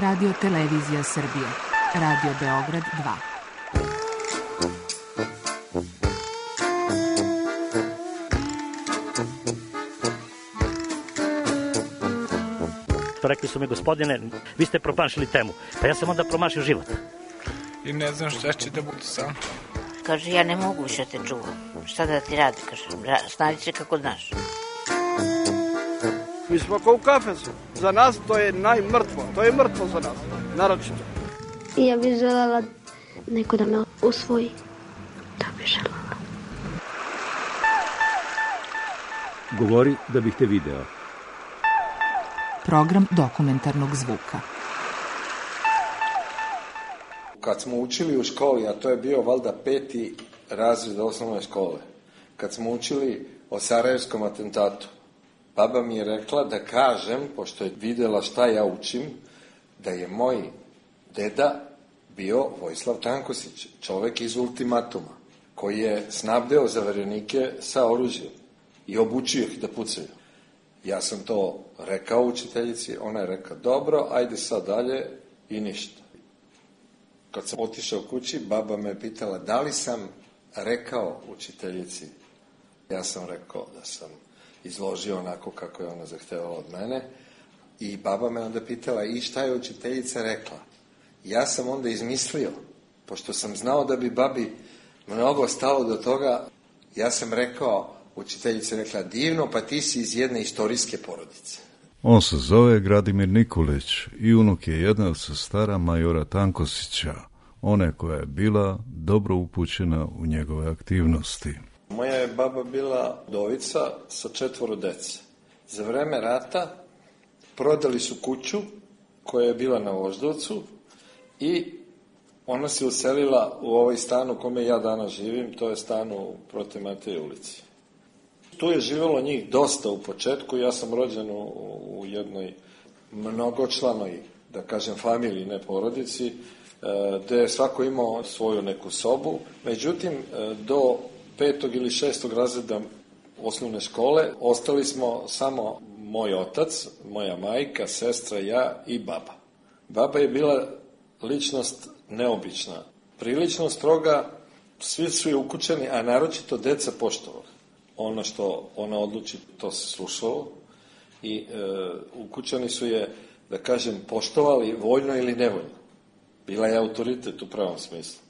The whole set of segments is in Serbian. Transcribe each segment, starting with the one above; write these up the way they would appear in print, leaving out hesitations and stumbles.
Radio Televizija Srbije. Radio Beograd 2. Rekli su mi, gospodine, vi ste promašili temu. Pa ja sam onda promašio život. I ne znam šta će da bude sam. Kaže, ja ne mogu više te čuvam. Šta da ti radi, kaže, snađi se kako znaš. Mi smo kao u kafesu. Za nas to je najmrtvo. To je mrtvo za nas, naročito. Ja bih želela neko da me usvoji. To bih želela. Govori da bih te video. Program dokumentarnog zvuka. Kad smo učili u školi, a to je bio valjda 5. razred osnovne škole, kad smo učili o Sarajevskom atentatu, baba mi je rekla da kažem, pošto je vidjela šta ja učim, da je moj deda bio Vojislav Tankosić, čovjek iz Ultimatuma, koji je snabdeo zaverenike sa oružjem i obučio ih da pucaju. Ja sam to rekao učiteljici, ona je rekla, dobro, ajde sad dalje i ništa. Kad sam otišao kući, baba me pitala da li sam rekao učiteljici. Ja sam rekao da sam izložio onako kako je ona zahtevala od mene. I baba me onda pitala, i šta je učiteljica rekla? Ja sam onda izmislio, pošto sam znao da bi babi mnogo stalo do toga, ja sam rekao, učiteljica rekla, divno, pa ti si iz jedne istorijske porodice. On se zove Gradimir Nikolić i unuk je jedna od sestara majora Tankosića, one koja je bila dobro upućena u njegove aktivnosti. Moja je baba bila udovica sa 4 dece. Za vreme rata prodali su kuću koja je bila na Voždovcu i ona se uselila u ovaj stan u kome ja danas živim, to je stan u Prote Mateje ulici. Tu je živjelo njih dosta u početku, ja sam rođen u jednoj mnogočlanoj, da kažem, familiji, ne porodici, gde je svako imao svoju neku sobu. Međutim, do 5. ili 6. razreda osnovne škole ostali smo samo moj otac, moja majka, sestra, ja i baba. Baba je bila ličnost neobična, prilično stroga, svi su ukućeni, a naročito deca poštovali. Ono što ona odluči, to se slušalo i ukućani su je, da kažem, poštovali voljno ili nevoljno. Bila je autoritet u pravom smislu.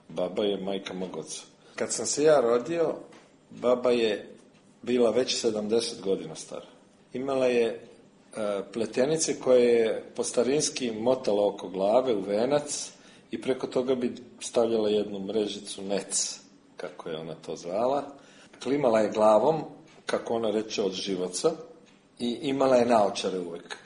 Baba je majka mog oca. Kad sam se ja rodio, baba je bila već 70 godina stara. Imala je pletenice koje je po starinski motala oko glave u venac i preko toga bi stavljala jednu mrežicu nec, kako je ona to zvala. Klimala je glavom, kako ona reče, od živaca i imala je naočare uvek.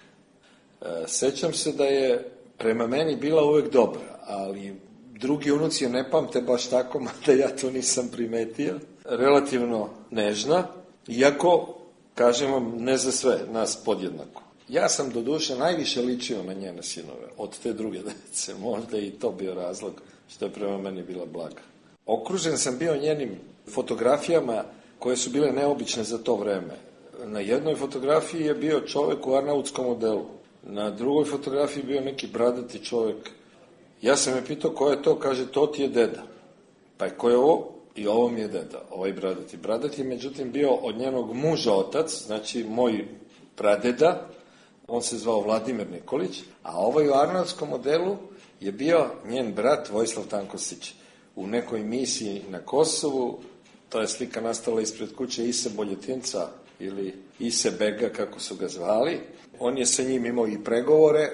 Sećam se da je prema meni bila uvek dobra, ali drugi unuci je ne pamte baš tako, mada ja to nisam primetio. Relativno nežna, iako, kažem vam, ne za sve, nas podjednako. Ja sam do duše najviše ličio na njene sinove, od te druge dece, možda i to bio razlog što je prema meni bila blaga. Okružen sam bio njenim fotografijama koje su bile neobične za to vreme. Na jednoj fotografiji je bio čovjek u arnautskom modelu. Na drugoj fotografiji bio neki bradati čovjek. Ja sam je pitao ko je to, kaže to ti je deda. Pa je ko je ovo? I ovo mi je deda, ovaj bradati. Bradati je međutim bio od njenog muža otac, znači moj pradeda, on se zvao Vladimir Nikolić, a ovaj u arnautskom modelu je bio njen brat Vojislav Tankosić. U nekoj misiji na Kosovu, ta je slika nastala ispred kuće Ise Boljetinca ili Ise Bega, kako su ga zvali. On je sa njim imao i pregovore,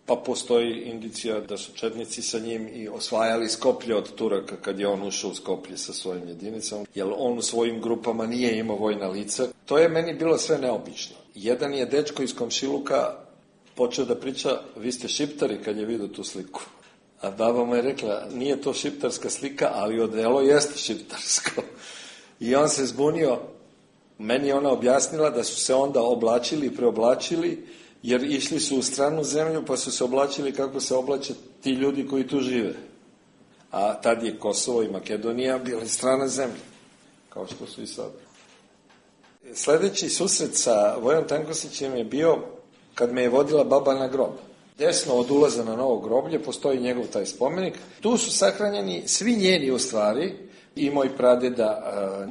pa postoji indicija da su četnici sa njim i osvajali Skoplje od Turaka kad je on ušao u Skoplje sa svojim jedinicama, jer on u svojim grupama nije imao vojna lica. To je meni bilo sve neobično. Jedan je dečko iz komšiluka počeo da priča, vi ste šiptari, kad je vidio tu sliku. A baba mu je rekla, nije to šiptarska slika, ali odelo jeste šiptarsko. I on se zbunio. Meni je ona objasnila da su se onda oblačili i preoblačili, jer išli su u stranu zemlju, pa su se oblačili kako se oblače ti ljudi koji tu žive. A tad je Kosovo i Makedonija bili strana zemlja, kao što su i sad. Sljedeći susret sa Vojom Tankosićem je bio kad me je vodila baba na grob. Desno od ulaza na novo groblje postoji njegov taj spomenik. Tu su sahranjeni svi njeni u stvari, i moj pradeda,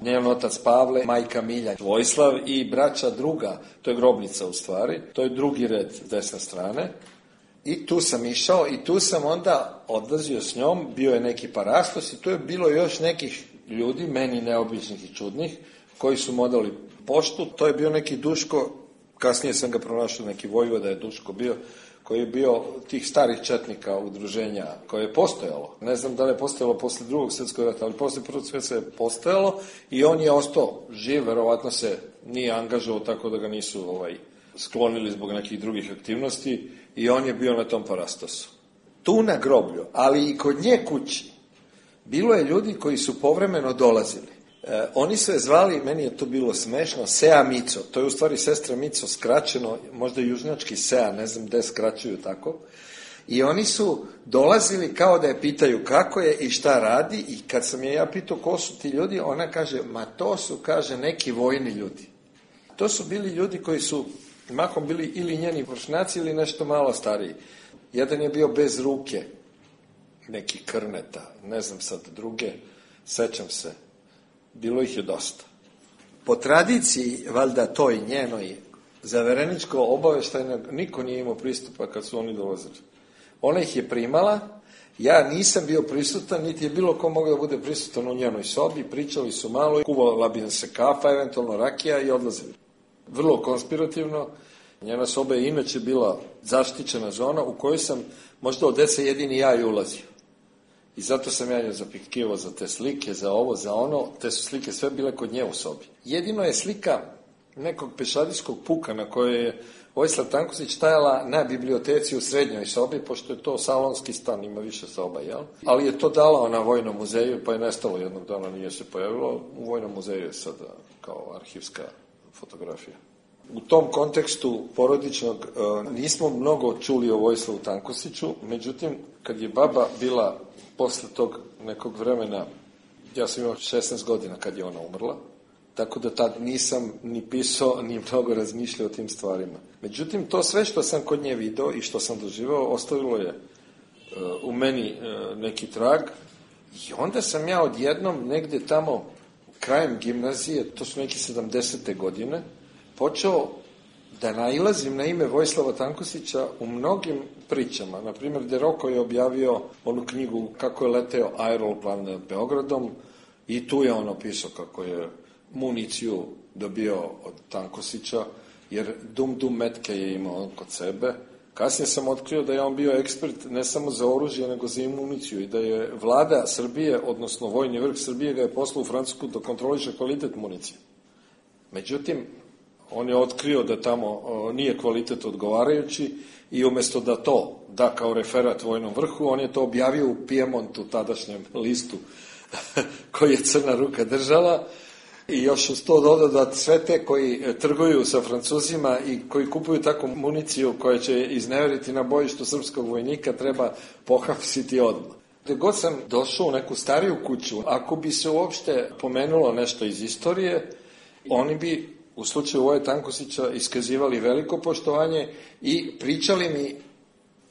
njen otac Pavle, majka Milja, Vojislav i braća druga, to je grobnica u stvari, to je drugi red s desne strane. I tu sam išao i tu sam onda odlazio s njom, bio je neki parastos i tu je bilo još nekih ljudi, meni neobičnih i čudnih, koji su modali poštu. To je bio neki Duško, kasnije sam ga pronašao, neki vojvoda je Duško bio, koji je bio tih starih četnika udruženja koje je postojalo. Ne znam da li je postojalo posle drugog svjetskog rata, ali posle prvog svjetskog je postojalo i on je ostao živ, verovatno se nije angažovao tako da ga nisu sklonili zbog nekih drugih aktivnosti i on je bio na tom parastosu. Tu na groblju, ali i kod nje kući, bilo je ljudi koji su povremeno dolazili. Oni su je zvali, meni je to bilo smešno, Sea Mico, to je u stvari sestra Mico skraćeno, možda južnjački Sea, ne znam gde skraćuju tako. I oni su dolazili kao da je pitaju kako je i šta radi i kad sam je ja pitao ko su ti ljudi, ona kaže, ma to su, kaže, neki vojni ljudi. To su bili ljudi koji su mahom bili ili njeni vršnjaci ili nešto malo stariji. Jedan je bio bez ruke, neki Krneta, ne znam sad druge, sećam se. Bilo ih je dosta. Po tradiciji, valjda toj njenoj, zavereničko obaveštajno, niko nije imao pristupa kad su oni dolazili. Ona ih je primala, ja nisam bio prisutan, niti je bilo ko mogao da bude prisutan u njenoj sobi, pričali su malo, kuvala bi se kafa, eventualno rakija i odlazili. Vrlo konspirativno, njena soba je inače bila zaštićena zona u kojoj sam možda od deca jedini ja i ulazio. I zato sam ja nju zapitkivao za te slike, za ovo, za ono, te su slike sve bile kod nje u sobi. Jedino je slika nekog pešadijskog puka na kojoj je Vojislav Tankosić stajala na biblioteci u srednjoj sobi, pošto je to salonski stan, ima više soba, jel? Ali je to dala na Vojnom muzeju, pa je nestalo jednog dana, nije se pojavilo. U Vojnom muzeju je sada kao arhivska fotografija. U tom kontekstu porodičnog nismo mnogo čuli o Vojislavu Tankosiću, međutim, kad je baba bila posle tog nekog vremena, ja sam imao 16 godina kad je ona umrla, tako da tad nisam ni pisao, ni mnogo razmišljao o tim stvarima. Međutim, to sve što sam kod nje video i što sam doživao, ostavilo je u meni neki trag i onda sam ja odjednom negde tamo krajem gimnazije, to su neki 70. godine, počeo da nailazim na ime Vojislava Tankosića u mnogim pričama. Naprimjer, Deroko je objavio onu knjigu Kako je leteo aeroplan nad Beogradom i tu je on opisao kako je municiju dobio od Tankosića, jer dum metke je imao on kod sebe. Kasnije sam otkrio da je on bio ekspert ne samo za oružje, nego za municiju i da je vlada Srbije, odnosno vojni vrh Srbije, ga je poslao u Francusku da kontroliše kvalitet municije. Međutim, on je otkrio da tamo nije kvalitet odgovarajući i umjesto da to da kao referat vojnom vrhu, on je to objavio u Piemontu, tadašnjem listu koji je Crna ruka držala i još uz to dodao da sve te koji trguju sa Francuzima i koji kupuju takvu municiju koja će izneveriti na bojištu srpskog vojnika treba pohapsiti odmah. Gde god sam došao u neku stariju kuću, ako bi se uopšte pomenulo nešto iz istorije, oni bi u slučaju Voje Tankosića iskazivali veliko poštovanje i pričali mi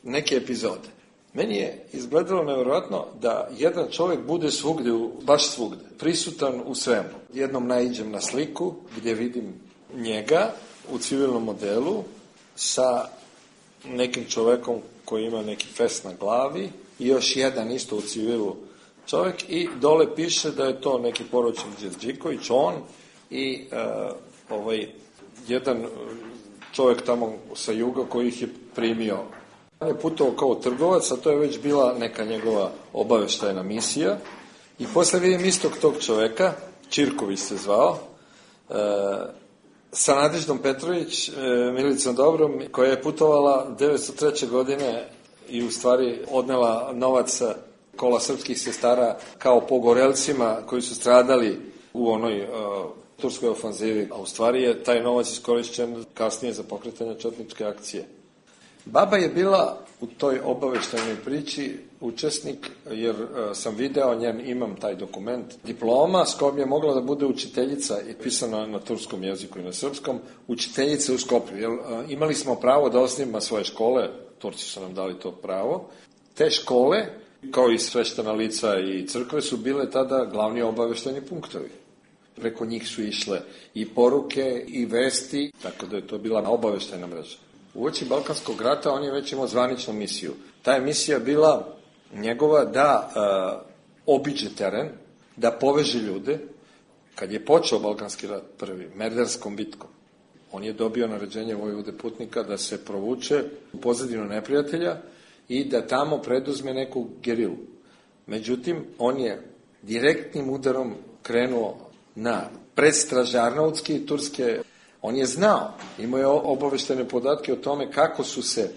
neke epizode. Meni je izgledalo nevjerojatno da jedan čovjek bude svugde, baš svugde, prisutan u svemu. Jednom naiđem na sliku gdje vidim njega u civilnom modelu sa nekim čovjekom koji ima neki fest na glavi i još jedan isto u civilu čovjek i dole piše da je to neki poručnik Đerđiković, on i jedan čovjek tamo sa juga koji ih je primio. On je putovao kao trgovac, a to je već bila neka njegova obaveštajna misija. I posle vidim istog tog čoveka, Čirković se zvao, sa Nadeždom Petrović, Milicom Dobrom, koja je putovala 1903. godine i u stvari odnela novac kola srpskih sestara kao pogorelcima koji su stradali u onoj turskoj ofanzivi, a u stvari je taj novac iskorišćen kasnije za pokretanje četničke akcije. Baba je bila u toj obaveštajnoj priči učesnik, jer sam video njen, imam taj dokument, diploma s kojom je mogla da bude učiteljica i pisana na turskom jeziku i na srpskom, učiteljica u Skoplju. Jer imali smo pravo da osnivamo svoje škole Turci su nam dali to pravo. Te škole, kao i sveštena lica i crkve, su bile tada glavni obaveštajni punktovi. Preko njih su išle i poruke i vesti, tako da je to bila obaveštajna mreža. Uoči Balkanskog rata on je već imao zvaničnu misiju. Ta je misija bila njegova da obiđe teren, da poveže ljude. Kad je počeo Balkanski rat prvi, Merdarskom bitkom, on je dobio naređenje vojvode Putnika da se provuče u pozadinu neprijatelja i da tamo preduzme neku gerilu. Međutim, on je direktnim udarom krenuo na predstraže Arnautske i Turske. On je znao, imao je obaveštene podatke o tome kako su se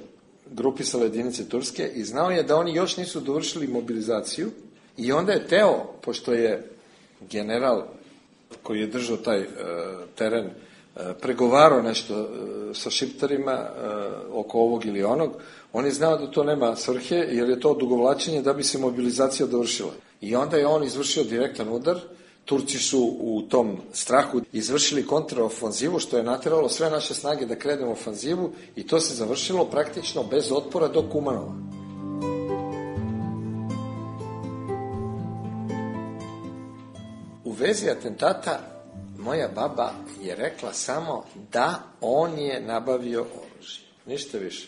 grupisale jedinice Turske i znao je da oni još nisu dovršili mobilizaciju i onda je teo, pošto je general koji je držao taj teren pregovarao nešto sa šiptarima oko ovog ili onog, on je znao da to nema svrhe jer je to odugovlačenje da bi se mobilizacija dovršila. I onda je on izvršio direktan udar. Turci su u tom strahu izvršili kontraofanzivu, što je nateralo sve naše snage da krenemo u ofanzivu i to se završilo praktično bez otpora do Kumanova. U vezi atentata moja baba je rekla samo da on je nabavio oružje. Ništa više.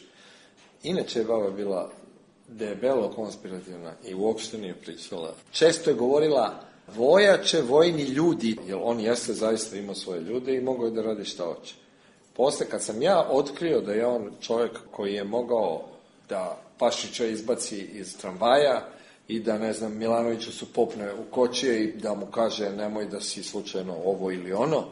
Inače je baba bila debelo konspirativna i uopšte nije pričala. Često je govorila vojače, vojni ljudi, jer on jeste zaista imao svoje ljude i mogao je da radi šta hoće. Posle, kad sam ja otkrio da je on čovjek koji je mogao da Pašića izbaci iz tramvaja i da, ne znam, Milanoviću su popne u kočije i da mu kaže nemoj da si slučajno ovo ili ono,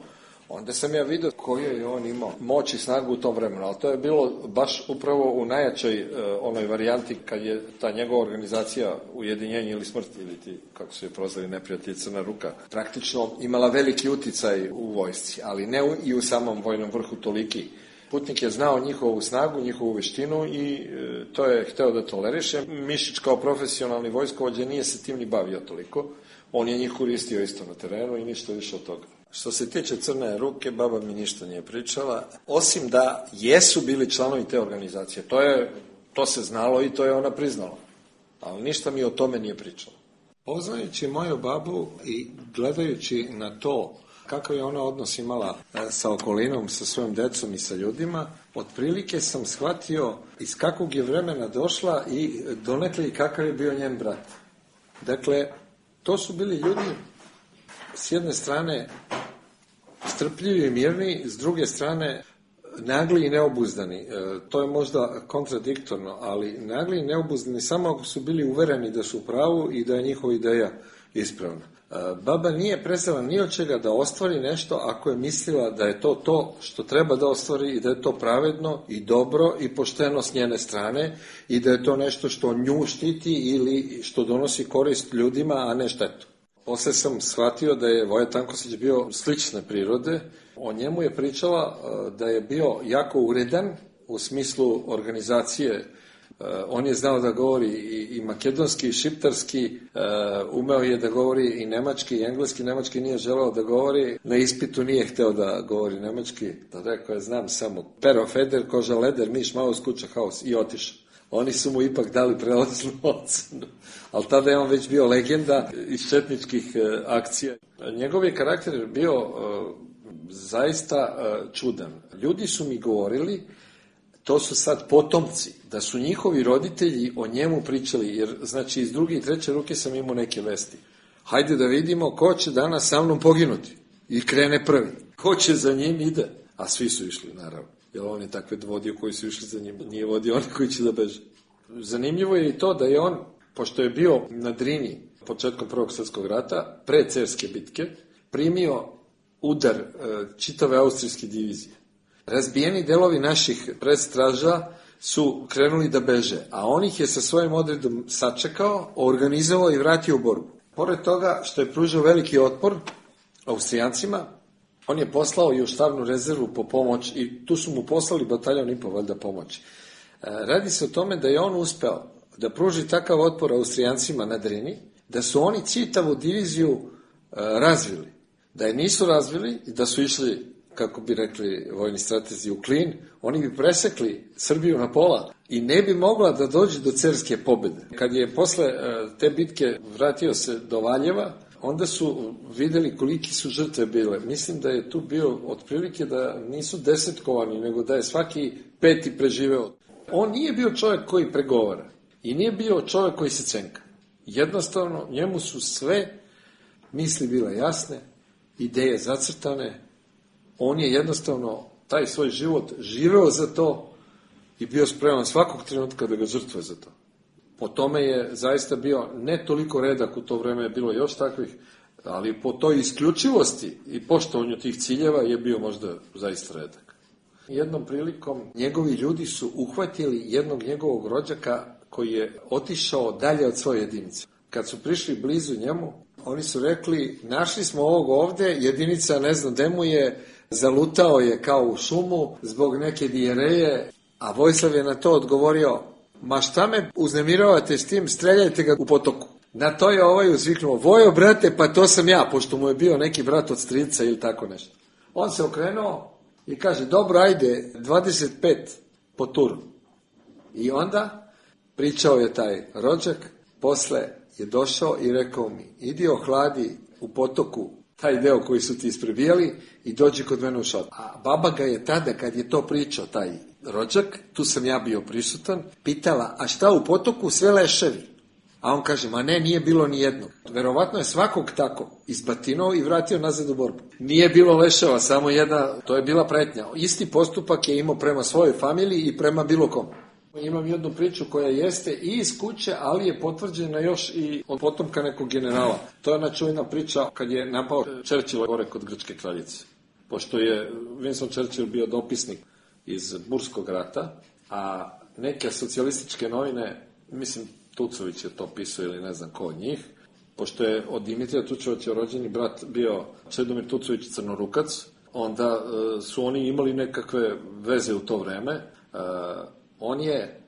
onda sam ja vidio koju je on imao moć i snagu u tom vremenu, ali to je bilo baš upravo u najjačoj onoj varijanti kad je ta njegova organizacija Ujedinjenje ili smrt, ili ti, kako su je prozvali neprijatelji, Crna ruka, praktično imala veliki uticaj u vojsci, ali ne i u samom vojnom vrhu toliki. Putnik je znao njihovu snagu, njihovu veštinu i to je hteo da toleriše. Mišić kao profesionalni vojskovođa nije se tim ni bavio toliko. On je njih koristio isto na terenu i ništa više od toga. Što se tiče Crne ruke, baba mi ništa nije pričala, osim da jesu bili članovi te organizacije. To se znalo i to je ona priznala. Ali ništa mi o tome nije pričala. Poznajući moju babu i gledajući na to kakav je ona odnos imala sa okolinom, sa svojom decom i sa ljudima, otprilike sam shvatio iz kakvog je vremena došla i donekle i kakav je bio njen brat. Dakle, to su bili ljudi s jedne strane strpljivi i mirni, s druge strane nagli i neobuzdani. To je možda kontradiktorno, ali nagli i neobuzdani samo ako su bili uvereni da su u pravu i da je njihova ideja ispravna. Baba nije prezala ni od čega da ostvari nešto ako je mislila da je to što treba da ostvari i da je to pravedno i dobro i pošteno s njene strane i da je to nešto što nju štiti ili što donosi korist ljudima, a ne štetu. Posle sam shvatio da je Voja Tankosić bio slične prirode. O njemu je pričala da je bio jako uredan u smislu organizacije. On je znao da govori i makedonski i šiptarski, umeo je da govori i nemački i engleski. Nemački nije želeo da govori, na ispitu nije hteo da govori nemački. Da rekao je, znam samo pero, feder, koža, leder, miš, maus, kuća, haus i otišao. Oni su mu ipak dali prelaznu ocenu, ali tada je on već bio legenda iz četničkih akcija. Njegov je karakter bio zaista čudan. Ljudi su mi govorili, to su sad potomci, da su njihovi roditelji o njemu pričali, jer znači iz druge i treće ruke sam imao neke vesti. Hajde da vidimo ko će danas sa mnom poginuti. I krene prvi. Ko će za njim ide? A svi su išli, naravno. Jer on je takve vodio koji su išli za njim. Nije vodio oni koji će da beže. Zanimljivo je i to da je on, pošto je bio na Drini početkom Prvog svjetskog rata, pre Cerske bitke, primio udar čitave austrijske divizije. Razbijeni delovi naših predstraža su krenuli da beže, a on ih je sa svojim odredom sačekao, organizovao i vratio u borbu. Pored toga što je pružao veliki otpor Austrijancima, on je poslao i u štabnu rezervu po pomoć i tu su mu poslali bataljon i po valjda pomoći. Radi se o tome da je on uspeo da pruži takav otpor Austrijancima na Drini, da su oni čitavu diviziju razvili. Da je nisu razvili i da su išli kako bi rekli vojni stratezi, u klin, oni bi presekli Srbiju na pola i ne bi mogla da dođe do cerske pobede. Kad je posle te bitke vratio se do Valjeva, onda su videli koliki su žrtve bile. Mislim da je tu bio otprilike da nisu desetkovani, nego da je svaki 5. preživeo. On nije bio čovjek koji pregovara i nije bio čovjek koji se cenka. Jednostavno, njemu su sve misli bile jasne, ideje zacrtane. On je jednostavno taj svoj život živeo za to i bio spreman svakog trenutka da ga žrtvuje za to. Po tome je zaista bio ne toliko redak, u to vreme je bilo još takvih, ali po toj isključivosti i poštovanju tih ciljeva je bio možda zaista redak. Jednom prilikom njegovi ljudi su uhvatili jednog njegovog rođaka koji je otišao dalje od svoje jedinice. Kad su prišli blizu njemu, oni su rekli, našli smo ovog ovde, jedinica ne znam gde mu je, zalutao je kao u šumu zbog neke dijereje, a Vojislav je na to odgovorio, ma šta me uznemiravate s tim, streljajte ga u potoku. Na to je ovaj uzviknuo, Vojo brate, pa to sam ja, pošto mu je bio neki brat od strica ili tako nešto. On se okrenuo i kaže, dobro, ajde, 25 po turu. I onda pričao je taj rođak, posle je došao i rekao mi, idi ohladi u potoku taj deo koji su ti isprebijali i dođi kod mene u šator. A baba ga je tada, kad je to pričao, taj rođak, tu sam ja bio prisutan, pitala, a šta u potoku, sve leševi? A on kaže, ma ne, nije bilo ni jednog. Verovatno je svakog tako izbatinuo i vratio nazad u borbu. Nije bilo leševa, samo jedna, to je bila pretnja. Isti postupak je imao prema svojoj familiji i prema bilo kom. Imam jednu priču koja jeste i iz kuće, ali je potvrđena još i od potomka nekog generala. To je ona čuvena priča kad je napao Churchill gore kod Grčke kraljice. Pošto je Winston Churchill bio dopisnik iz Burskog rata, a neke socijalističke novine, mislim Tucović je to pisao ili ne znam ko od njih, pošto je od Dimitrija Tucovića rođeni brat bio Čedomir Tucović Crnorukac, onda su oni imali nekakve veze u to vreme. On je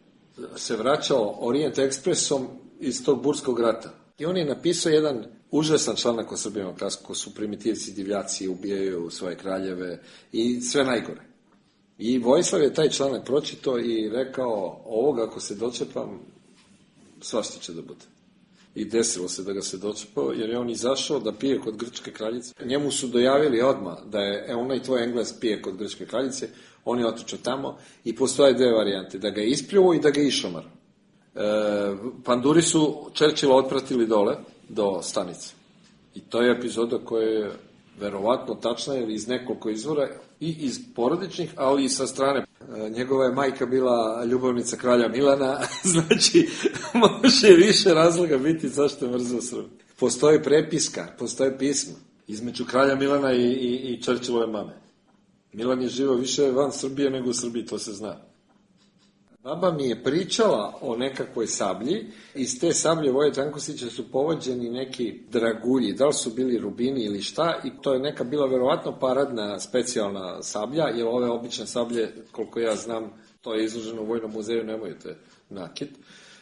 se vraćao Orient Expressom iz tog Burskog rata. I on je napisao jedan užasan članak o Srbima, kako su primitivci, divljaci, ubijaju svoje kraljeve i sve najgore. I Vojislav je taj članak pročitao i rekao, ovoga ako se dočepam, svašta će da bude. I desilo se da ga se dočepao, jer je on izašao da pije kod Grčke kraljice. Njemu su dojavili odmah da je onaj tvoj Engles pije kod Grčke kraljice, on je otišao tamo i postoje dve varijante, da ga je ispljuo i da ga je išomar. Panduri su Churchilla otpratili dole do stanice. I to je epizoda koja je verovatno tačna ili iz nekoliko izvora i iz porodičnih, ali i sa strane. Njegova je majka bila ljubavnica kralja Milana, znači može više razloga biti zašto je mrzeo Srbiju. Postoji prepiska, postoje pisma između kralja Milana i Churchillove mame. Milan je živio više van Srbije nego u Srbiji, to se zna. Baba mi je pričala o nekakvoj sablji, iz te sablje Voje Tankosića su povođeni neki dragulji, da li su bili rubini ili šta, i to je neka bila verovatno paradna specijalna sablja, jer ove obične sablje, koliko ja znam, to je izloženo u Vojnom muzeju, nemoj te nakit.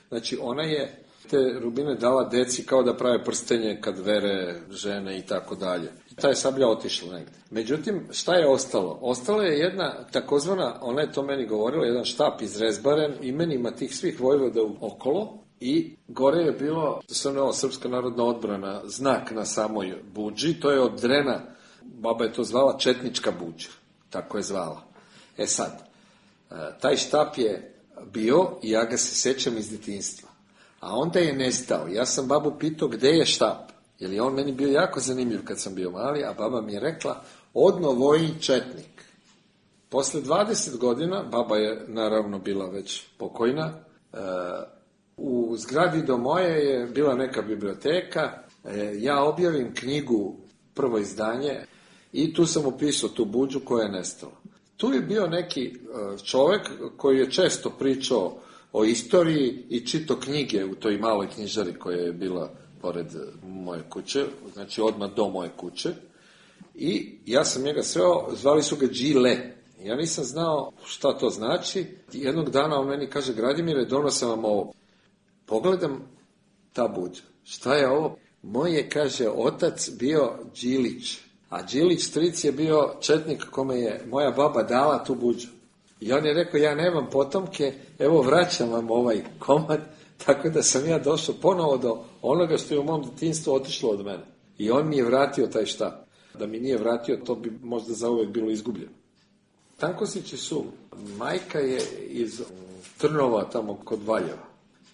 Znači, ona je te rubine dala deci kao da prave prstenje kad vere žene i tako dalje. Ta je sablja otišla negde. Međutim, šta je ostalo? Ostala je jedna takozvana, ona je to meni govorila, jedan štap izrezbaren imenima tih svih vojvoda okolo i gore je bilo, Srpska narodna odbrana, znak na samoj budži, to je od drena, baba je to zvala četnička budža, tako je zvala. E sad, taj štap je bio i ja ga se sećam iz detinjstva. A onda je nestao. Ja sam babu pitao gde je štap, jer je on meni bio jako zanimljiv kad sam bio mali, a baba mi je rekla, odno Vojin četnik. Posle 20 godina, baba je naravno bila već pokojna, u zgradi do moje je bila neka biblioteka, ja objavim knjigu, prvo izdanje, i tu sam upisao tu budžu koja je nestala. Tu je bio neki čovek koji je često pričao o istoriji i čitao knjige u toj maloj knjižari koja je bila pored moje kuće, znači odmah do moje kuće. I ja sam njega sreo, zvali su ga Đile. Ja nisam znao šta to znači. Jednog dana on meni kaže, Gradimire, donosam vam ovo. Pogledam ta buđa. Šta je ovo? Moj je, kaže, otac bio Đilić. A Đilić stric je bio četnik kome je moja baba dala tu buđu. I on je rekao, ja nemam potomke, evo vraćam vam ovaj komad, tako da sam ja došao ponovo do onoga što je u mom djetinjstvu otišlo od mene. I on mi je vratio taj štap. Da mi nije vratio, to bi možda zauvek bilo izgubljeno. Tankosići su, majka je iz Trnova, tamo kod Valjeva,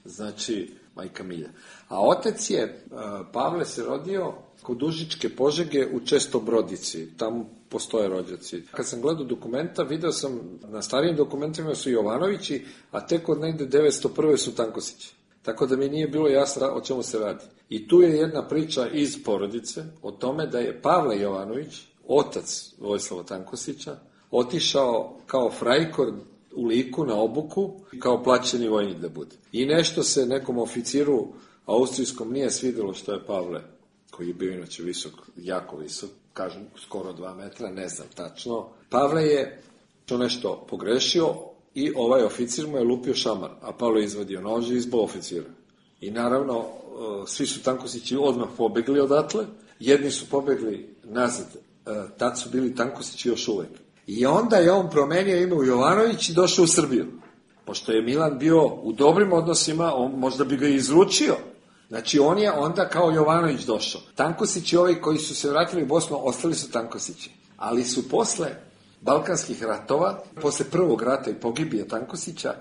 znači majka Milja. A otec je, Pavle se rodio kod Užičke Požege u Čestobrodici, tamo postoje rođaci. Kad sam gledao dokumenta, video sam, na starijim dokumentima su Jovanovići, a tek od negde 901. su Tankosići. Tako da mi nije bilo jasno o čemu se radi. I tu je jedna priča iz porodice o tome da je Pavle Jovanović, otac Vojislava Tankosića, otišao kao frajkor u Liku na obuku, kao plaćeni vojnik da bude. I nešto se nekom oficiru austrijskom nije svidjelo što je Pavle, koji je bio inače visok, jako visok, kažem skoro 2 metra, ne znam tačno. Pavle je to nešto pogrešio i ovaj oficir mu je lupio šamar, a Pavle je izvadio nož i izbao oficira. I naravno, svi su Tankosići odmah pobegli odatle, jedni su pobegli nazad, tad su bili Tankosići još uvek. I onda je on promenio ime u Jovanović i došao u Srbiju. Pošto je Milan bio u dobrim odnosima, on možda bi ga izručio. Znači, on je onda kao Jovanović došao. Tankosići, ovi koji su se vratili u Bosnu, ostali su Tankosići. Ali su posle Balkanskih ratova, posle prvog rata i pogibije Tankosića,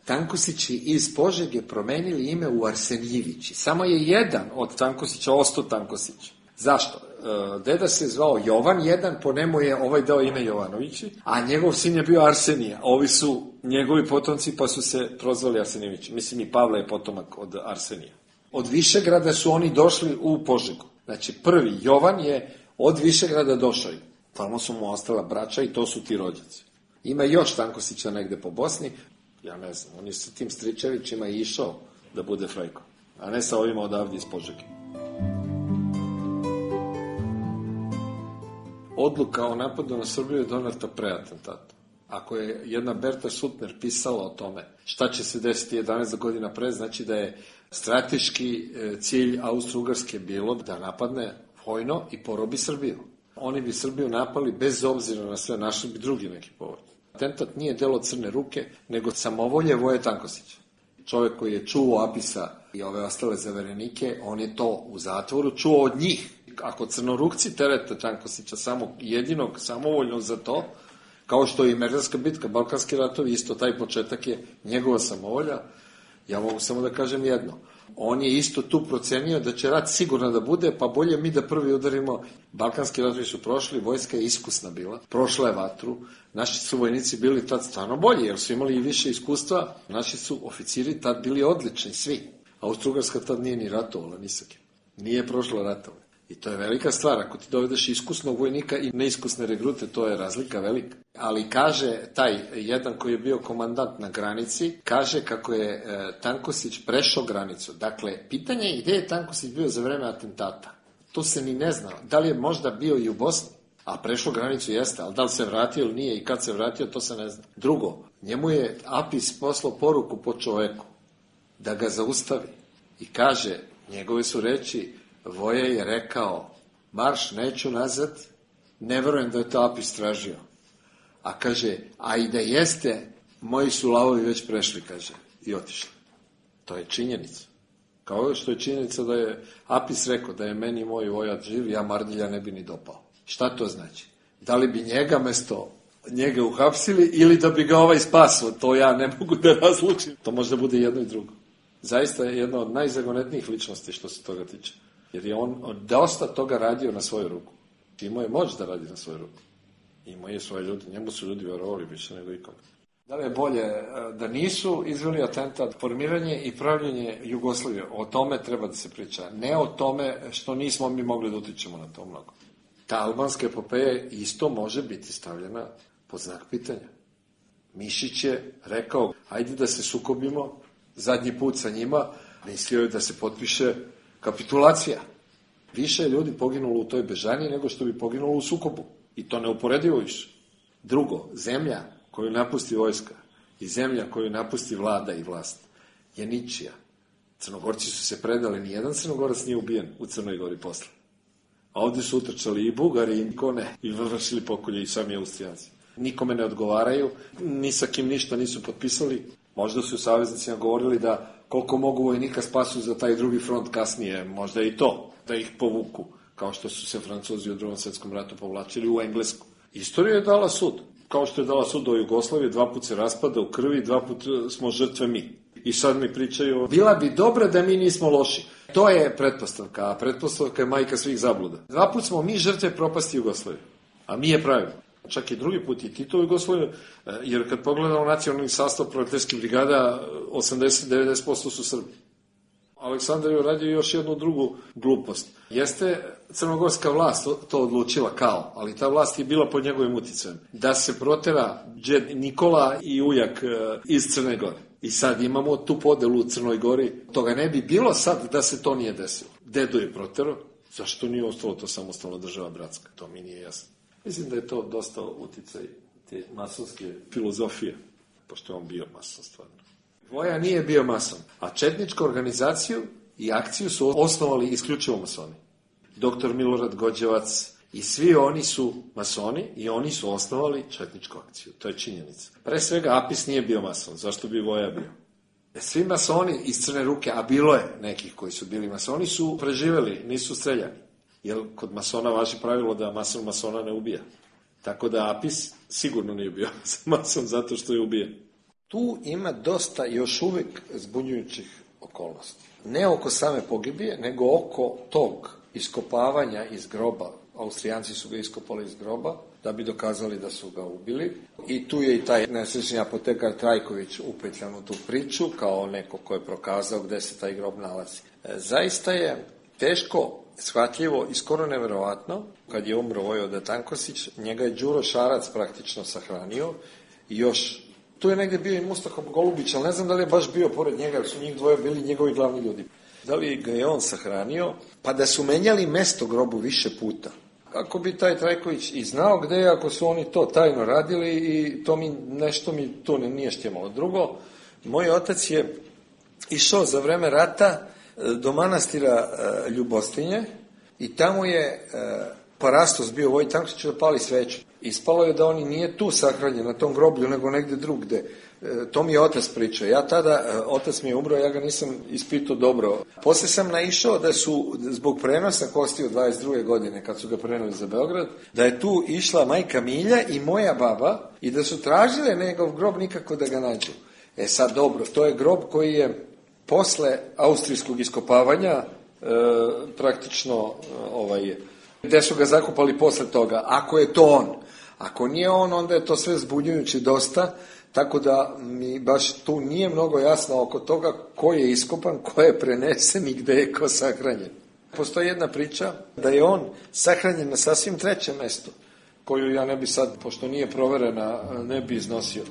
Tankosići iz Požege promenili ime u Arsenjevići. Samo je jedan od Tankosića ostao Tankosić. Zašto? Deda se zvao Jovan, jedan, po njemu je ovaj dao ime Jovanovići, a njegov sin je bio Arsenija. Ovi su njegovi potomci, pa su se prozvali Arsenjevići. Mislim, i Pavle je potomak od Arsenija. Od Višegrada su oni došli u Požegu. Znači, prvi Jovan je od Višegrada došao. Tamo su mu ostala braća i to su ti rođaci. Ima još Tankosića negde po Bosni, ja ne znam, on je sa tim Stričevićima išao da bude frajko, a ne sa ovima odavdje iz Požege. Odluka o napadu na Srbiju je doneta pre atentata. Ako je jedna Berta Suttner pisala o tome šta će se desiti 11 godina pre, znači da je strateški cilj Austro-Ugarske bilo da napadne vojno i porobi Srbiju. Oni bi Srbiju napali bez obzira na sve, našli bi drugi neki povod. Atentat nije delo Crne ruke, nego samovolje Voje Tankosića. Čovjek koji je čuo Apisa i ove ostale zaverenike, on je to u zatvoru čuo od njih. Ako crnorukci terete Tankosića samo jedinog, samovoljno za to, kao što je i Merdanska bitka, Balkanski ratovi, isto taj početak je njegova samovolja, ja mogu samo da kažem jedno. On je isto tu procenio da će rat sigurno da bude, pa bolje mi da prvi udarimo. Balkanski ratovi su prošli, vojska je iskusna bila, prošla je vatru, naši su vojnici bili tad stvarno bolji, jer su imali i više iskustva, naši su oficiri tad bili odlični, svi. Austro-Ugarska tad nije ni ratovala, ni sa kim. Nije prošla ratove. I to je velika stvar, ako ti dovedeš iskusnog vojnika i neiskusne regrute, to je razlika velika. Ali kaže taj jedan koji je bio komandant na granici, kaže kako je Tankosić prešao granicu. Dakle, pitanje je gdje je Tankosić bio za vreme atentata. To se ni ne zna. Da li je možda bio i u Bosni, a prešao granicu jeste, ali da li se vratio ili nije i kad se vratio, to se ne zna. Drugo, njemu je Apis poslao poruku po čoveku da ga zaustavi. I kaže, njegove su reči, Voje je rekao, marš, neću nazad, ne verujem da je to Apis tražio. A kaže, a i da jeste, moji su lavovi već prešli, kaže, i otišli. To je činjenica. Kao što je činjenica da je Apis rekao da je meni moj vojač živ, ja Mardilja ne bi ni dopao. Šta to znači? Da li bi njega uhapsili ili da bi ga ovaj spasao? To ja ne mogu da razlučim. To može bude jedno i drugo. Zaista je jedna od najzagonetnijih ličnosti što se toga tiče. Jer je on dosta toga radio na svoju ruku. Imao je moć da radi na svoju ruku. Imao je svoje ljudi. Njemu su ljudi vjerovali više nego ikome. Da li je bolje da nisu izveli atentat, formiranje i pravljenje Jugoslavije? O tome treba da se priča. Ne o tome što nismo mi mogli da utičemo na to mnogo. Ta albanska epopeja isto može biti stavljena pod znak pitanja. Mišić je rekao, ajde da se sukobimo zadnji put sa njima, mislio je da se potpiše kapitulacija. Više je ljudi poginulo u toj bežaniji nego što bi poginulo u sukobu. I to neuporedivo više. Drugo, zemlja koju napusti vojska i zemlja koju napusti vlada i vlast je ničija. Crnogorci su se predali, nijedan Crnogorac nije ubijen u Crnoj Gori posle. A ovdje su utrčali i Bugari i Kone i vršili pokolje i sami Austrijanci. Nikome ne odgovaraju, ni sa kim ništa nisu potpisali. Možda su saveznicima govorili da koliko mogu vojnika spasu za taj drugi front kasnije, možda i to, da ih povuku, kao što su se Francuzi u Drugom svjetskom ratu povlačili u Englesku. Istorija je dala sud. Kao što je dala sud o Jugoslaviji, 2 puta se raspada u krvi, 2 puta smo žrtve mi. I sad mi pričaju, bila bi dobra da mi nismo loši. To je pretpostavka, a pretpostavka je majka svih zabluda. 2 puta smo mi žrtve propasti Jugoslavije, a mi je pravimo. Čak i drugi put i Tito u Jugoslaviju, jer kad pogledamo nacionalni sastav proletarskih brigada, 80-90% su Srbi. Aleksandar je uradio još jednu drugu glupost. Jeste crnogorska vlast to odlučila kao, ali ta vlast je bila pod njegovim uticajem. Da se protera džed Nikola i ujak iz Crne Gore. I sad imamo tu podelu u Crnoj Gori. Toga ne bi bilo sad da se to nije desilo. Dedo je protero, zašto nije ostalo to samostalna država bratska? To mi nije jasno. Mislim da je to dosta uticaj te masonske filozofije, pošto je on bio mason stvarno. Voja nije bio mason, a četničku organizaciju i akciju su osnovali isključivo masoni. Doktor Milorad Gođevac i svi oni su masoni i oni su osnovali četničku akciju. To je činjenica. Pre svega Apis nije bio mason, zašto bi Voja bio? Svi masoni iz Crne Ruke, a bilo je nekih koji su bili masoni, su preživeli, nisu streljani. Jer kod masona važi pravilo da mason masona ne ubija. Tako da Apis sigurno nije bio mason zato što je ubijen. Tu ima dosta još uvijek zbunjujućih okolnosti. Ne oko same pogibije, nego oko tog iskopavanja iz groba. Austrijanci su ga iskopali iz groba da bi dokazali da su ga ubili. I tu je i taj nesrećni apotekar Trajković upetljan u tu priču kao neko ko je prokazao gde se taj grob nalazi. Zaista je teško shvatljivo i skoro neverovatno, kad je umro Vojvoda Tankosić, njega je Đuro Šarac praktično sahranio i još, tu je negdje bio i Mustafa Golubić, ali ne znam da li je baš bio pored njega, jer su njih dvoje bili njegovi glavni ljudi. Da li ga je on sahranio, pa da su menjali mesto grobu više puta. Kako bi taj Trajković i znao gde je, ako su oni to tajno radili i to nešto mi tu nije štimalo. Drugo, moj otac je išao za vreme rata do manastira Ljubostinje i tamo je parastos bio Vojin Tankosić da pali sveću. Ispalo je da on nije tu sahranjen na tom groblju, nego negdje drugde. To mi je otac pričao. Ja tada, otac mi je umro, ja ga nisam ispitao dobro. Poslije sam naišao da su, zbog prenosa kosti od 22. godine, kad su ga preneli za Beograd, da je tu išla majka Milja i moja baba i da su tražile njegov grob nikako da ga nađu. Sad dobro, to je grob koji je posle austrijskog iskopavanja praktično gde su ga zakopali posle toga, ako je to on. Ako nije on, onda je to sve zbunjujući dosta, tako da mi baš tu nije mnogo jasno oko toga ko je iskopan, ko je prenesen i gde je ko sahranjen. Postoji jedna priča da je on sahranjen na sasvim trećem mestu, koju ja ne bi sad, pošto nije proverena, ne bi iznosio.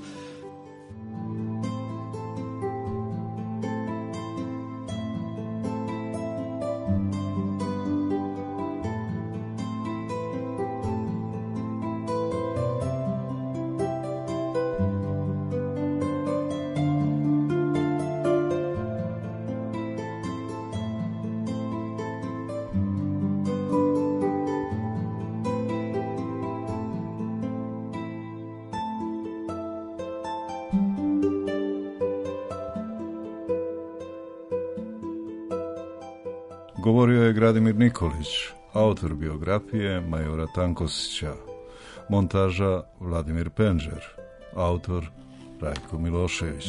Govorio je Gradimir Nikolić, autor biografije majora Tankosića, montaža Vladimir Penđer, autor Rajko Milošević.